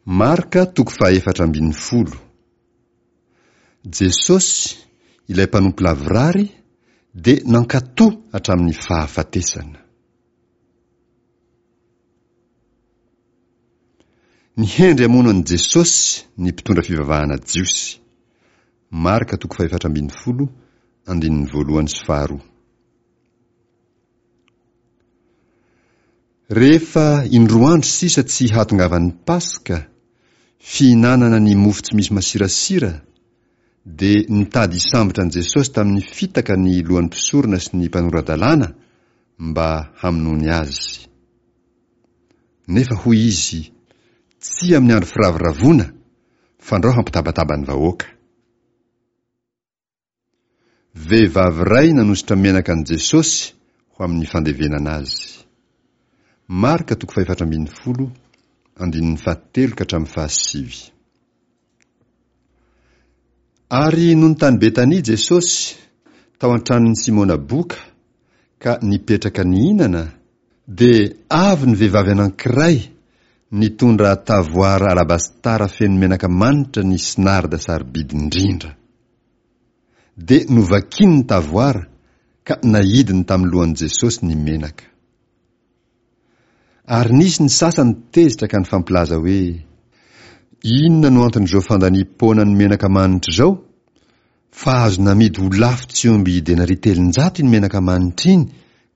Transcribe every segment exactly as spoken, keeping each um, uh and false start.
Marka toko fahaefatra ambin'ny folo. Jesosy, ilay mpanompo lavorary, dia nankatò hatramin'ny fahafatesana. Nihendry hamono an'i Jesosy ny mpitondra fivavahana jiosy. Marka toko fahefatra ambin'ny folo, andininy voalohany sy faharoa. Rehefa indroa andro sisa tsy hahatongavan'ny Paska, fihinanana ny mofo tsy misy masirasira, dia nitady hisambotra an'i Jesosy tamin'ny fitaka ny lohan'ny mpisorona sy ny mpanora-dalàna mba hamonoany azy. Nefa hoy izy, Tsy amin'ny andro firavoravoana, fandrao hampitabataba ny vahoaka. Vehivavy iray nanosotra menaka an'i Jesosy ho amin'ny fandevenana azy. Marka toko fahefatra ambin'ny folo, andininy fahatelo ka hatramin'ny fahasivy. Ary nony tany Betania Jesosy, tao an-tranon'i Simona boka, ka nipetraka nihinana, dia avy ny vehivavy anankiray nitondra tavoara alabastara feno menaka manitra ny sinarda sarobidy indrindra. Dia novakiny ny tavoara ka naidiny tamin'ny lohan'i Jesosy ny menaka. Ary nisy ny sasany tezitra ka nifampilaza hoe, Inona no anton'izao fandaniam-poana ny menaka manitra izao? Fa azo namidy ho lafo tsy omby denaria telonjato iny menaka manitra iny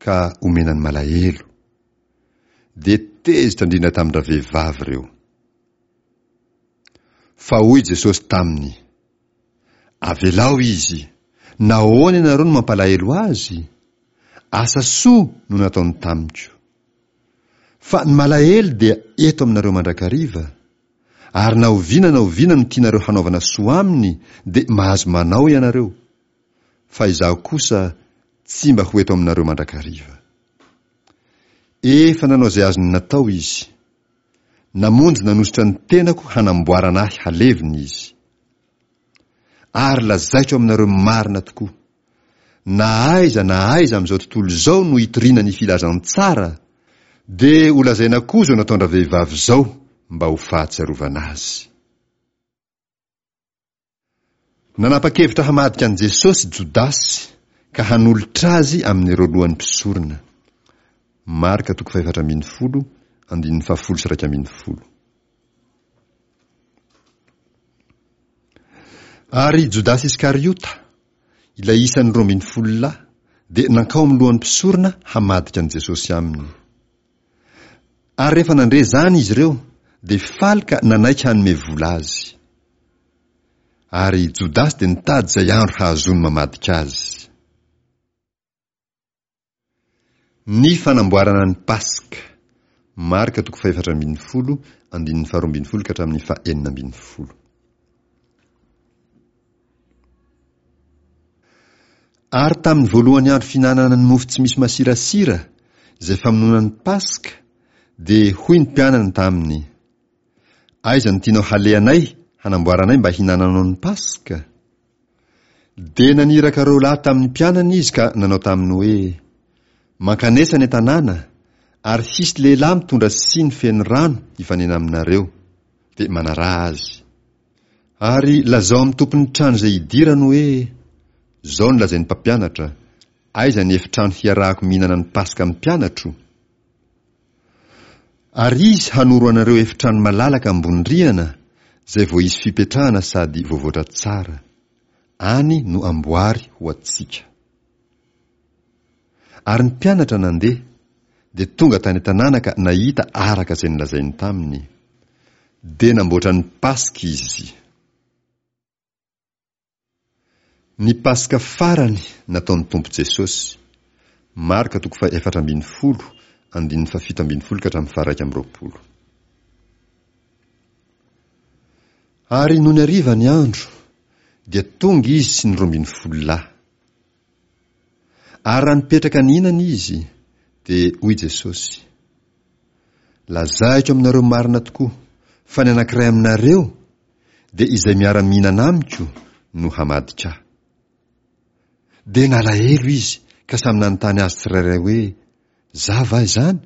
ka omena ny malahelo. Dia tezitra indrindra tamin-dravehivavy ireo. Fa hoy Jesosy taminy, Avelao izy, nahoana ianareo no mampalahelo azy? Asa soa no nataony tamiko. Fa ny malahelo dia eto aminareo mandrakariva, ary na oviana na oviana no tianareo hanaovana soa aminy dia mahazo manao ianareo, fa izaho kosa tsy mba ho eto aminareo mandrakariva. Efa nanao izay azony natao izy. Namonjy nanosotra ny tenako hanamboarana ahy halevina izy. Ary lazaiko aminareo marina tokoa, na aiza na aiza amin'izao tontolo izao no hitoriana ny filazantsara, dia holazaina koa izao nataon-dravehivavy izao mba ho fahatsiarovana azy. Nanapa-kevitra hamadika an'i Jesosy Jodasy ka hanolotra azy amin'ireo lohan'ny mpisorona. Marka toko fahefatra ambin'ny folo, andininy fahafolo sy iraika ambin'ny folo. Ary Jodasy Iskariota, ilay isan'ny roa ambin'ny folo lahy, dia nankao amin'ny lohan'ny mpisorona hamadika an'i Jesosy aminy. Ary rehefa nandre izany izy ireo, dia faly ka nanaiky hanome vola azy. Ary Jodasy dia nitady izay andro hahazoany mamadika azy. Ny fanamboarana ny Paska. Marka toko fahefatra ambin'ny folo, andininy faharoa ambin'ny folo ka hatramin'ny fahenina ambin'ny folo. Ary tamin'ny voalohan'ny andro fihinanana ny mofo tsy misy masirasira, izay famonoana ny Paska, dia hoy ny mpianany taminy, Aiza no tianao halehanay hanamboaranay mba hinananao ny Paska? Dia naniraka roa lahy tamin'ny mpianany izy ka nanao taminy hoe, Mankanesa any an-tanàna, ary hisy lehilahy mitondra siny feno rano hifanena aminareo, dia manaraha azy. Ary lazao amin'ny tompon'ny trano izay hidirany hoe, Izao no lazain'ny mpampianatra, Aiza ny efitrano hiarahako mihinana ny Paska amin'ny mpianatro? Ary izy hanoro anareo efitrano malalaka ambony rihana izay voaisy fipetrahana sady voavoatra tsara. Any no amboary ho antsika. Ary ny mpianatra nandeha, dia tonga tany an-tanàna ka nahita araka izay nolazainy taminy. Dia namboatra ny Paska izy. Ny Paska farany nataon'ny Tompo Jesosy. Marka toko fahefatra ambin'ny folo, andininy fahafito ambin'ny folo ka hatramin'ny faharaika amby roapolo. Ary nony hariva ny andro, dia tonga izy sy ny roa ambin'ny folo lahy. Ary raha nipetraka nihinana izy, dia hoy Jesosy, Lazaiko aminareo marina tokoa, fa ny anankiray aminareo, dia izay miara-mihinana amiko no hamadika ahy. Dia nalahelo izy ka samy nanontany azy tsirairay hoe, Za va izany?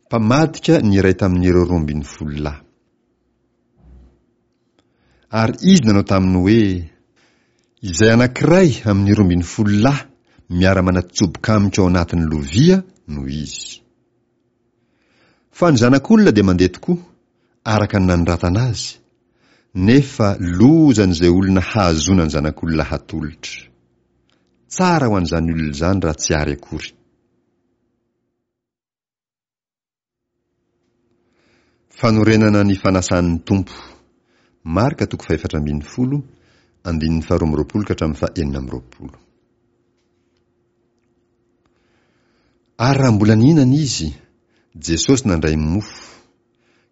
Mpamadika ny iray tamin'ireo roa ambin'ny folo lahy. Ary izy nanao taminy hoe, Izay anankiray amin'ny roa ambin'ny folo lahy miara-manatsoboka amiko ao anatin'ny lovia no izy. Fa ny Zanak'olona dia mandeha tokoa, araka ny nanoratana azy, nefa lozan'izay olona hahazoana ny Zanak'olona hatolotra. Tsara ho an'izany olona izany raha tsy ary akory. Fanorenana ny fanasan'ny Tompo. Marka toko fahefatra ambin'ny folo, andininy faharoa amby roapolo ka hatramin'ny fahenina amby roapolo. Ary raha mbola nihinana izy, Jesosy nandray mofo,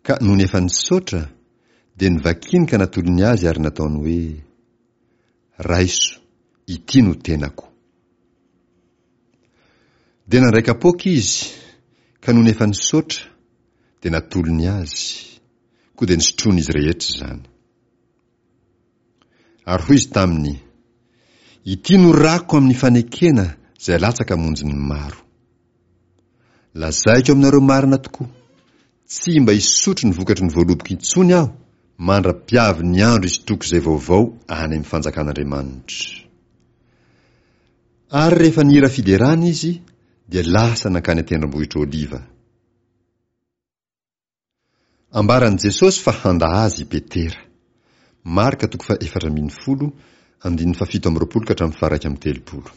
ka nony efa nisaotra, dia novakiny ka natolony azy ary nataony hoe, Raiso, ity no tenako. Dia nandray kapoaka izy, ka nony efa nisaotra, dia natolony azy, koa dia nisotroin'izy rehetra izany. Ary hoy izy taminy, Ity no rako amin'ny fanekena izay alatsaka hamonjy ny maro. Lazaiko aminareo marina tokoa, tsy mba hisotro ny vokatry ny voaloboko intsony aho mandra-piavy ny andro hisotroako izay vaovao any amin'ny fanjakan'Andriamanitra. Ary rehefa nihira fiderana izy, dia lasa nankany an-tendrombohitra Oliva. Ambaran'i Jesosy fa handa azy i Petera. Marka toko fahefatra ambin'ny folo, andininy fahafito amby roapolo ka hatramin'ny faharaika amby telopolo.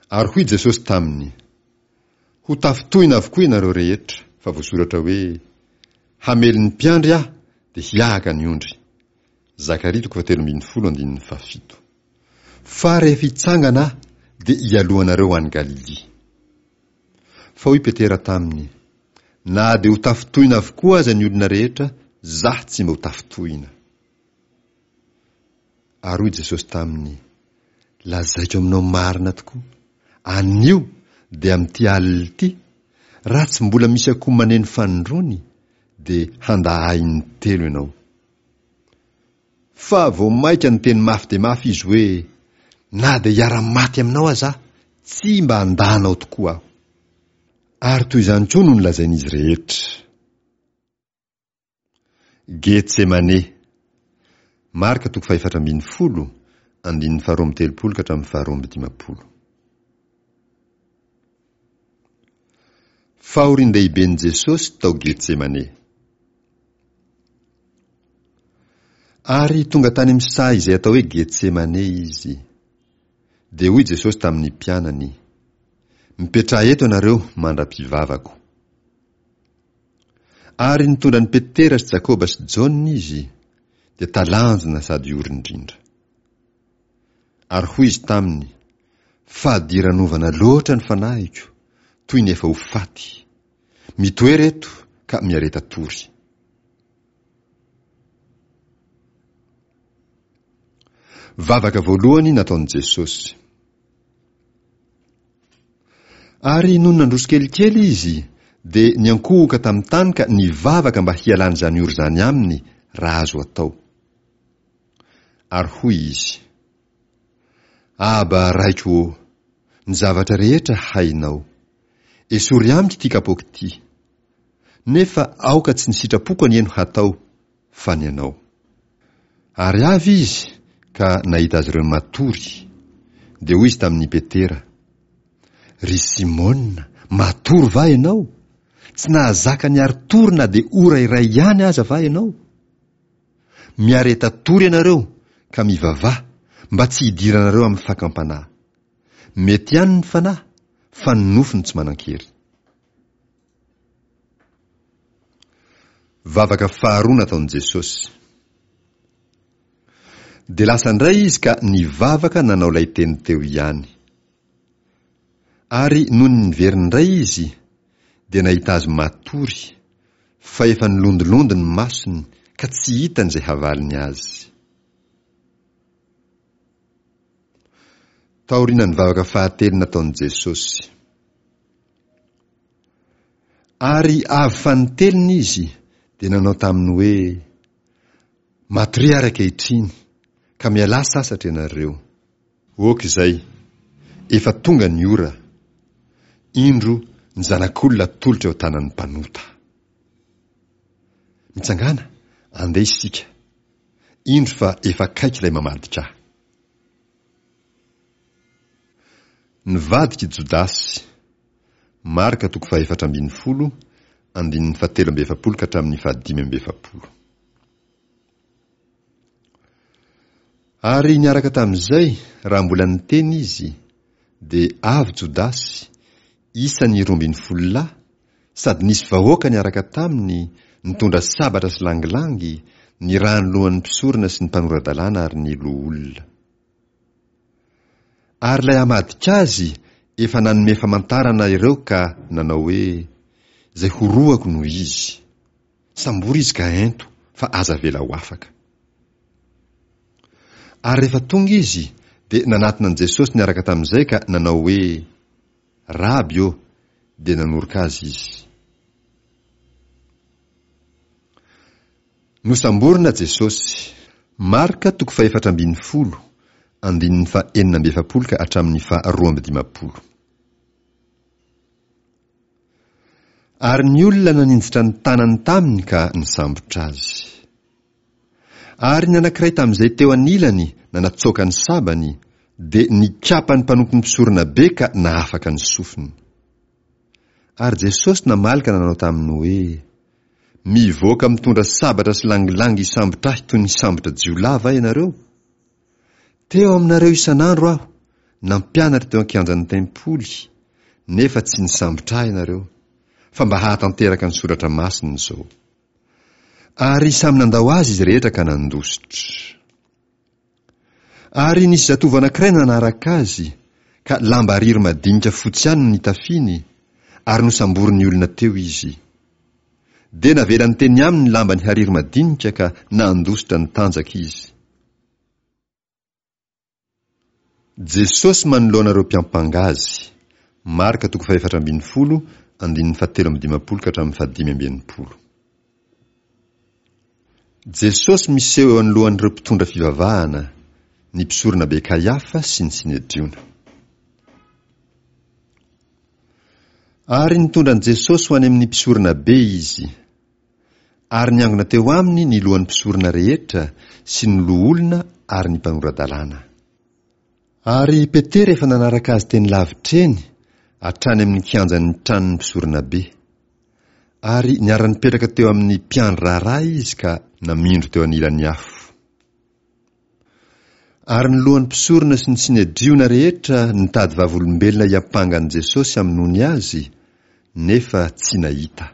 Ary hoy Jesosy taminy, Ho tafintohina avokoa ianareo rehetra, fa voasoratra hoe, Hamely ny mpiandry aho, dia hiahaka ny ondry. Zakaria toko fahatelo ambin'ny folo andininy fahafito. Fa rehefa hitsangana aho, dia hialoha anareo ho any Galilia. Fa hoy Petera taminy, Na dia ho tafintohina avokoa aza ny olona rehetra, zaho tsy mba ho tafintohina. Ary hoy Jesosy taminy, Lazaiko aminao marina tokoa, anio dia amin'ity alina ity, raha tsy mbola misy akoho maneno fanindroany, dia handà ahy intelo ianao. Fa vao mainka niteny mafy dia mafy izy hoe, Na dia hiara-maty aminao aza aho, tsy mba handà anao tokoa aho. Ary toy izany koa no nolazain'izy rehetra. Getsemane. Marka toko fahefatra ambin'ny folo, andininy faharoa amby telopolo ka hatramin'ny faharoa amby dimampolo. Fahorian-dehiben'i Jesosy tao Getsemane. Ary tonga tany amin'ny saha izay atao hoe Getsemane izy. Dia hoy Jesosy tamin'ny mpianany, Mipetraha eto ianareo mandra-pivavako. Ary nitondra an'i Petera sy Jakoba sy Jaona izy, dia talanjona sady ory indrindra. Ary hoy izy taminy, Fadiranovana loatra ny fanahiko, toy ny efa ho faty. Mitoera eto ka miareta tory. Vavaka voalohany nataon'i Jesosy. Ary nony nandroso kelikely izy, dia niankohoka tamin'ny tany ka nivavaka mba hialan'izany ora izany aminy raha azo atao. Ary hoy izy, Aba Raiko ô, ny zavatra rehetra hainao. Esory amiko ity kapoaka ity. Nefa aoka tsy ny sitrapoko anie no hatao, fa ny anao. Ary avy izy ka nahita azy ireo matory. Dia hoy izy tamin'i Petera, Ry Simona, matory va ianao? Tsy nahazaka niari-tory na dia ora iray ihany aza va ianao? Miareta tory ianareo ka mivavaha mba tsy hidiranareo amin'ny fakam-panahy. Mety ihany ny fanahy, fa ny nofo no tsy manan-kery. Vavaka faharoa nataon'i Jesosy. Dia lasa indray izy ka nivavaka nanao ilay teny teo ihany. Ary nony niverina indray izy, dia nahita azy matory, fa efa nilondilondy ny masony ka tsy hitany izay havaliny azy. Taorian'ny vavaka fahatelo nataon'i Jesosy. Ary avy fanintelony izy, dia nanao taminy hoe, Matoria ary ankehitriny, ka mialà sasatra ianareo. Ok izay. Efa tonga ny ora. Indro ny Zanak'olona atolotra eo an-tanan'ny mpanota. Mitsangàna, andeha isika. Indro fa efa akaiky ilay mamadika ahy. Nivadika i Jodasy. Marka toko fahefatra ambin'ny folo, andininy fahatelo amby efapolo ka hatramin'ny fahadimy amby efapolo. Ary niaraka tamin'izay, raha mbola niteny izy, dia avy Jodasy, isan'ny roa ambin'ny folo lahy, sady nisy vahoaka niaraka taminy, nitondra sabatra sy langilangy, nirahan'ny lohan'ny mpisorona sy ny mpanora-dalàna ary ny loholona. Ary ilay hamadika azy efa nanome famantarana ireo ka nanao hoe, Izay horohako no izy. Sambory izy ka ento, fa aza avela ho afaka. Ary rehefa tonga izy, dia nanatona an'i Jesosy niaraka tamin'izay ka nanao hoe, Raby ô! Dia nanoroka azy izy. Nosamborina Jesosy. Marka toko fahefatra ambin'ny folo, andininy fahenina amby efapolo ka hatramin'ny faharoa amby dimampolo. Ary ny olona naninjitra ny tanany taminy ka nisambotra azy. Ary ny anankiray tamin'izay teo anilany nanatsoaka ny sabany, dia nikapa ny mpanompon'ny mpisoronabe ka nahafaka ny sofiny. Ary Jesosy namaly ka nanao taminy hoe, Mivoaka mitondra sabatra sy langilangy hisambotra ahy toy ny hisambotra jiolahy va ianareo? Teo aminareo isan'andro aho, nampianatra teo an-kianjan'ny tempoly, nefa tsy nisambotra ahy ianareo, fa mba hahatanteraka ny soratra masina izao. Ary samy nandao azy izy rehetra ka nandositra. Ary nisy zatovo anankiray nanaraka azy, ka lamba hariry madinika fotsy ihany no nitafiany, ary nosamborin'ny olona teo izy. Dia navelany teny aminy ny lambany hariry madinika ka nandositra nitanjaka izy. Jesosy manoloana ireo mpiampanga azy. Marka toko fahefatra ambin'ny folo, andininy fahatelo amby dimampolo ka hatramin'ny fahadimy amby enimpolo. Jesosy miseho eo anoloan'ireo mpitondra fivavahana, ny mpisoronabe Kaiafa sy ny Synedriona. Ary nitondra an'i Jesosy ho any amin'ny mpisoronabe izy. Ary niangona teo aminy ny lohan'ny mpisorona rehetra sy ny loholona ary ny mpanora-dalàna. Ary i Petera efa nanaraka azy teny lavitra eny, hatrany amin'ny kianjan'ny tranon'ny mpisoronabe. Ary niara-nipetraka teo amin'ny mpiandry raharaha izy ka namindro teo anilan'ny afo. Ary ny lohan'ny mpisorona sy ny Synedriona rehetra nitady vavolombelona hiampanga an'i Jesosy hamonoany azy, nefa tsy nahita.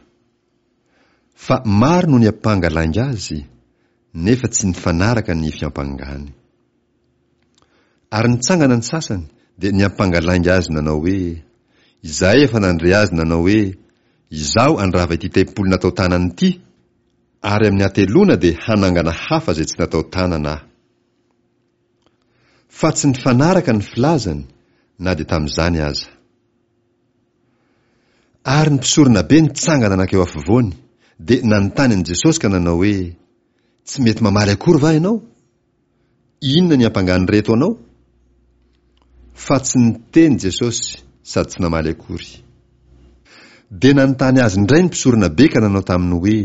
Fa maro no niampanga lainga azy, nefa tsy nifanaraka ny fiampangany. Ary nitsangana ny sasany, dia niampanga lainga azy nanao hoe, Izahay efa nandre azy nanao hoe, Izaho handrava ity tempoly natao tanana ity, ary amin'ny hateloana dia hanangana hafa izay tsy natao tanana aho. Fa tsy nifanaraka ny filazany, na dia tamin'izany aza. Ary ny mpisoronabe nitsangana nankeo afovoany, dia nanontany an'i Jesosy ka nanao hoe, Tsy mety mamaly akory va ianao? Inona ny ampangan'ireto anao? Fa tsy niteny Jesosy sady tsy namaly akory. Dia nanontany azy indray ny mpisoronabe ka nanao taminy hoe,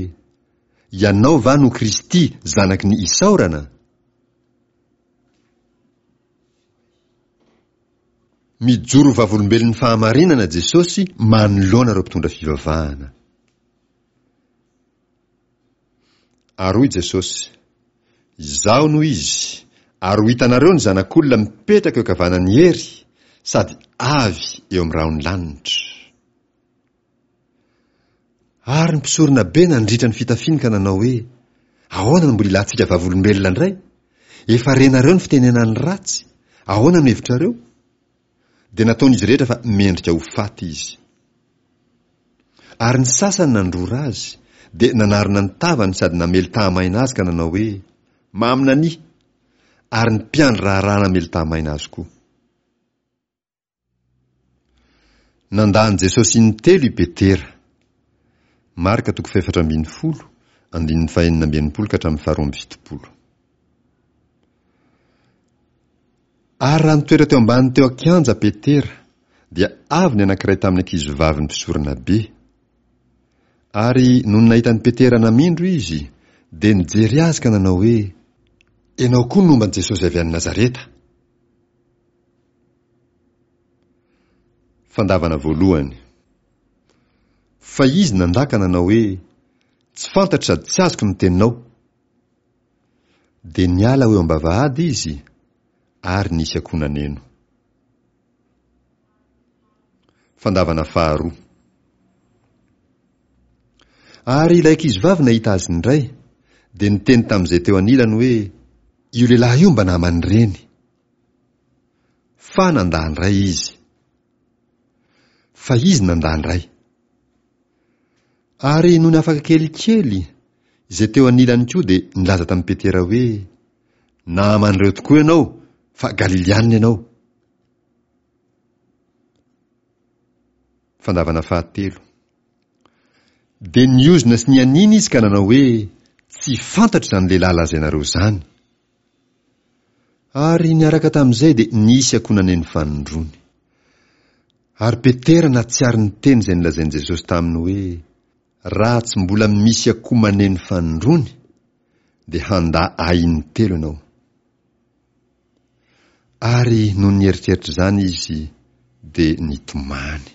Ianao va no Kristy, Zanaky ny Isaorana? Mijoro ho vavolombelon'ny fahamarinana Jesosy manoloana ireo mpitondra fivavahana. Ary hoy Jesosy, Izaho no Izy, ary ho hitanareo ny Zanak'olona mipetraka eo ankavanan'ny hery, sady avy eo amin'ny rahon'ny lanitra. Ary ny mpisoronabe nandritra ny fitafiany ka nanao hoe, Ahoana no mbola ilantsika vavolombelona indray? Efa renareo ny fitenenany ratsy, ahoana no hevitrareo? Dia nataon'izy rehetra fa mendrika ho faty izy. Ary ny sasany nandrora azy, dia nanarona ny tavany sady namely tahamaina azy ka nanao hoe, Maminania! Ary ny mpiandry raharaha namely tahamaina azy koa. Nandà an'i Jesosy intelo i Petera. Marka toko fahefatra ambin'ny folo, andininy fahenina amby enimpolo ka hatramin'ny faharoa amby fitopolo. Ary raha nitoetra teo ambany teo an-kianja Petera, dia avy ny anankiray tamin'ny ankizivavin'ny mpisoronabe. Ary nony nahita an'i Petera namindro izy, dia nijery azy ka nanao hoe, Ianao koa nomba an'i Jesosy avy any Nazareta. Fandavana voalohany. Fa izy nandà ka nanao hoe, Tsy fantatro sady tsy azoko ny teninao. Dia niala ho eo am-bavahady izy, ary nisy akoho naneno. Fandavana faharoa. Ary ilay ankizivavy nahita azy indray, dia niteny tamin'izay teo anilany hoe, Io lehilahy io mba naman'ireny. Fa nandà indray izy. Fa izy nandà indray. Ary nony afaka kelikely, izay teo anilany koa dia nilaza tamin'i Petera hoe, Naman'ireo tokoa ianao, fa Galilianina ianao. Fandavana fahatelo. Dia niozona sy nianiana izy ka nanao hoe, Tsy fantatro izany lehilahy lazainareo izany. Ary niaraka tamin'izay dia nisy akoho naneno fanindroany. Ary Petera nahatsiaro ny teny izay nolazain'i Jesosy taminy hoe, Raha tsy mbola misy akoho maneno fanindroany, dia handà Ahy intelo ianao. Ary nony nieritreritra izany izy, dia nitomany.